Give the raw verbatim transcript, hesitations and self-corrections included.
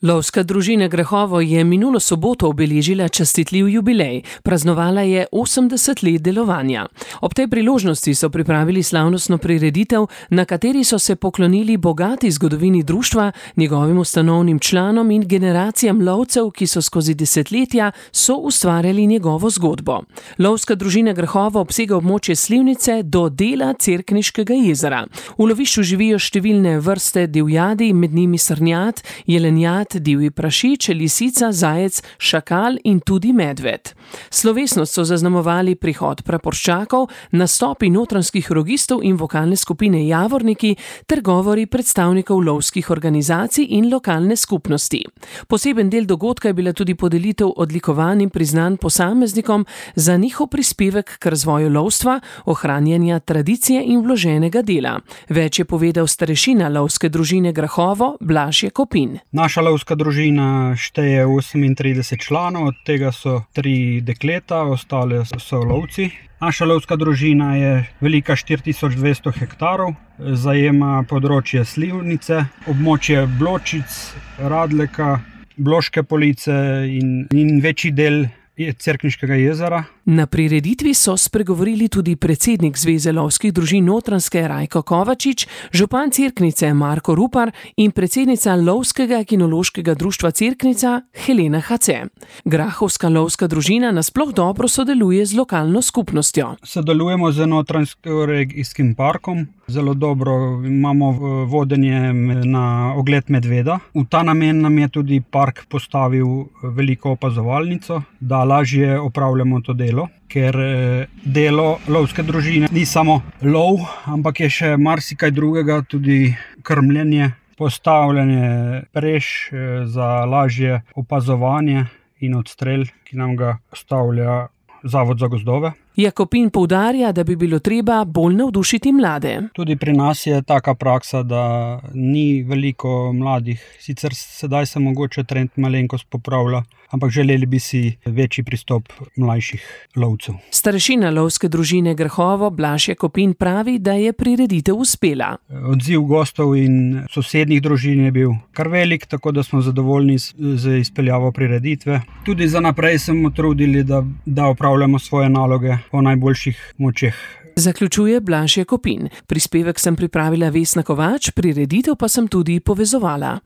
Lovska družina Grahovo je minulo soboto obeležila častitljiv jubilej. Praznovala je osemdeset let delovanja. Ob tej priložnosti so pripravili slavnostno prireditev, na kateri so se poklonili bogati zgodovini društva, njegovim ustanovnim članom in generacijam lovcev, ki so skozi desetletja soustvarjali njegovo zgodbo. Lovska družina Grahovo obsega območje Slivnice do dela Cerkniškega jezera. V lovišču živijo številne vrste divjadi, med njimi srnjad, jelenjad, divji prašič, lisica, zajec, šakal in tudi medved. Slovesnost so zaznamovali prihod praporščakov, nastopi notranjskih rogistov in vokalne skupine Javorniki ter govori predstavnikov lovskih organizacij in lokalne skupnosti. Poseben del dogodka je bila tudi podelitev odlikovanj in priznanj posameznikom za njihov prispevek k razvoju lovstva, ohranjanja tradicije in vloženega dela. Več je povedal starešina lovske družine Grahovo, Blaž Jakopin. Naša lovska družina šteje osemintrideset članov, od tega so tri dekleta, ostale so lovci. Naša lovska družina je velika štiri tisoč dvesto hektarov, zajema področje Slivnice, območje Bločic, Radleka, Bloške Police in, in večji del Cerkniškega jezera. Na prireditvi so spregovorili tudi predsednik Zveze lovskih družin Notranjske Rajko Kovačič, župan Cerknice Marko Rupar in predsednica Lovskega kinološkega društva Cerknica Helena Hace. Grahovska lovska družina nasploh dobro sodeluje z lokalno skupnostjo. Sodelujemo z Notranjskim regijskim parkom. Zelo dobro imamo vodenje na ogled medveda. V ta namen nam je tudi park postavil veliko opazovalnico, da lažje opravljamo to delo. Ker delo lovske družine ni samo lov, ampak je še marsikaj drugega, tudi krmljenje, postavljanje preš za lažje opazovanje in odstrel, ki nam ga postavlja Zavod za gozdove. Jakopin poudarja, da bi bilo treba bolj navdušiti mlade. Tudi pri nas je taka praksa, da ni veliko mladih. Sicer sedaj se mogoče trend malenkost popravlja, ampak želeli bi si večji pristop mlajših lovcev. Starešina lovske družine Grahovo, Blaž Jakopin, pravi, da je prireditev uspela. Odziv gostov in sosednjih družin je bil kar velik, tako da smo zadovoljni z izpeljavo prireditve. Tudi za naprej smo trudili, da, da opravljamo svoje naloge po najboljših močeh. Zaključuje Blaž Jakopin. Prispevek sem pripravila Vesna Kovač, prireditev pa sem tudi povezovala.